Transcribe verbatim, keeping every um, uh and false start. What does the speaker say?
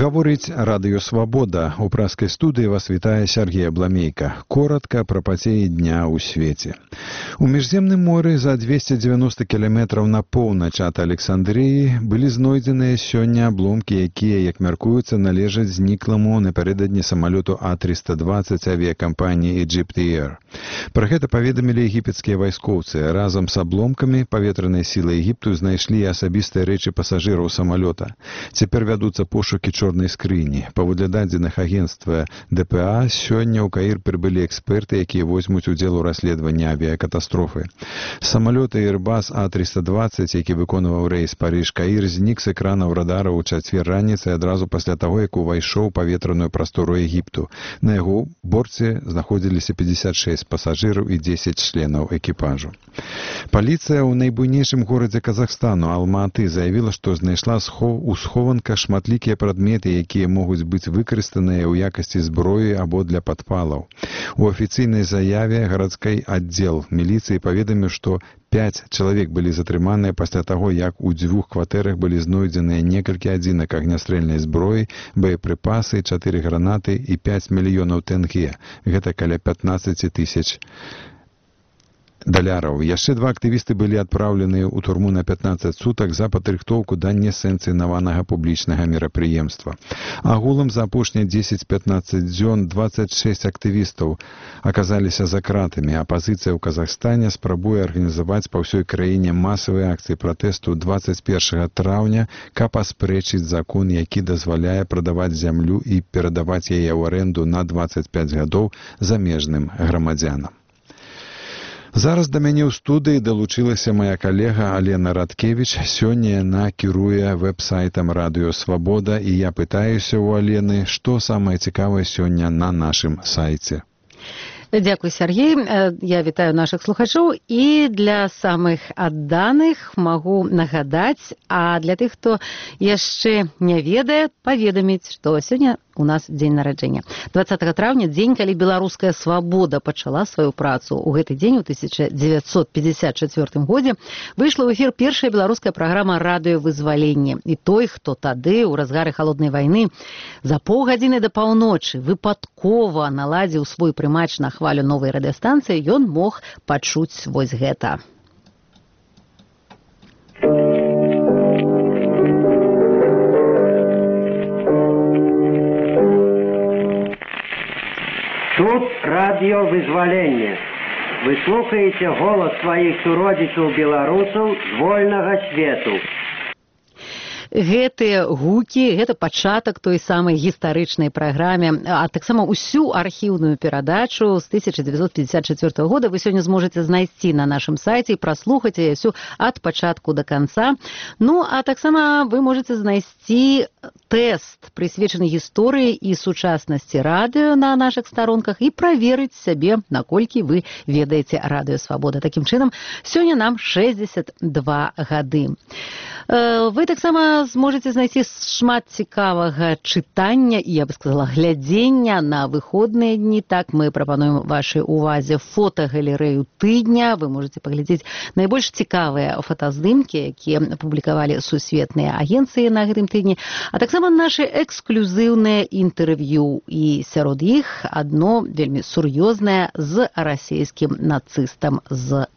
Гаворыць Радыё Свабода. У праскай студыі вас вітае Сергей Абламейка. Коротка пра падзеі дня ў свеце. У Міжземным моры за двести девяносто кіламетраў на поўнач ад Александрыі былі знойдзеныя сёння абломкі, якія, як мяркуецца, належаць знікламу напярэдадні самалёту А триста двадцать авіякампаніі Egypt Air. Пра гэта паведамілі егіпецкія вайскоўцы. Разам з абломкамі паветранай сілы Егіпту знайшлі асабістыя рэчы пасажыраў самалёта. Цяпер вядуцца пошукі чорнай скрыні. Паводле дадзеных агенцтва Дэ Пэ А, сёння ў Каір прыбылі эксперты, якія возьмуць удзел у расследаванні авіякатастрофы. Самалёт Airbus А триста двадцать, які выконваў рэйс Париж-Каір, знік з экранаў радара ў чацвер раніцы адразу пасля таго, як увайшоў у паветраную прастору Егіпту. На яго борце знаходзіліся пятьдесят шесть пасажыраў і дзесяць членаў экіпажу. Паліцыя ў найбуйнейшым горадзе Казахстану, Алма-Аты, заявіла, што знайшла у схованках шматлікія прадметы, якія могуць быць выкарыстаныя ў якасці зброі або для падпалаў. У афіцыйнай заяве гарадской аддзел міліцыі паведаміў, што пяць чалавек былі затрыманыя пасля таго, як у дзвюх кватэрах былі знойдзеныя некалькі адзінак агнястрэльнай зброі, боепрыпасы, чатыры гранаты і пяць мільёнаў тенге. Гэта каля пятнадцать тысяч даляраў. Яшчэ два актывісты былі адпраўленыя ў турму на пятнадцать сутак за падрыхтоўку да несанкцыянаванага публічнага мерапрыемства. Агулам за апошнія дзесяць-пятнаццаць дзён двадцать шесть актывістаў аказаліся за кратамі. Апазіцыя ў Казахстане спрабуе арганізаваць па ўсёй краіне масавыя акцыі пратэсту двадцать першага траўня, каб аспрэчыць закон, які дазваляе прадаваць зямлю і перадаваць яе ў арэнду на двадцать пять гадоў замежным грамадзянам. Зараз да мяне ў студыі далучылася мая калега Алена Радкевіч. Сёння яна кіруе вэб-сайтам Радыё Свабода, і я пытаюся ў Алены, што самае цікавае сёння на нашым сайце. Дзякуй, Сергей. Я вітаю нашых слухачоў і для самых адданых магу нагадаць, а для тых, хто яшчэ не ведае, паведаміць, што сёння у нас дзень нараджэння. двадцатага траўня, дзень, калі беларуская свабода пачала сваю працу. У гэты дзень, у тысяча дзевяцьсот пятьдесят четвёртым годзе, выйшла ў эфір першая беларуская праграма «Радыё Вызваленне». І той, хто тады, у разгары халоднай вайны, за паўгадзіны да паўночы выпадкова наладзіў свой прымач на хвалю новай радыёстанцыі, ён мог пачуць вось гэта. Тут радыё Вызваленне. Вы слухаеце голас сваіх суродзічаў-беларусаў з вольнага свету. Гэтыя гукі, гэта пачатак той самай гістарычнай праграме, а таксама ўсю архіўную перадачу з тысяча дзевяцьсот пятьдесят четвёртага года вы сёння зможаце знайсці на нашым сайце і праслухаць яе ўсю ад пачатку да канца. Ну, а таксама вы можаце знайсці тэст, прысвечаны гісторыі і сучаснасці радыё на нашых старонках і праверыць сябе, наколькі вы ведаеце Радыё Свабода. Такім чынам, сёння нам шэсцьдзесят два гады. Вы таксама зможаце знайсці шмат цікавага чытання і, я бы сказала, глядзення на выходныя дні. Так, мы прапануем вашай увазе фотагалерэю тыдня. Вы можаце паглядзець найбольш цікавыя фотаздымкі, якія публікавалі сусветныя агенцыі на гэтым тыдні, а таксама нашы эксклюзіўныя інтэрв'ю. І сярод іх адно вельмі сур'ёзнае з расійскім нацыстам з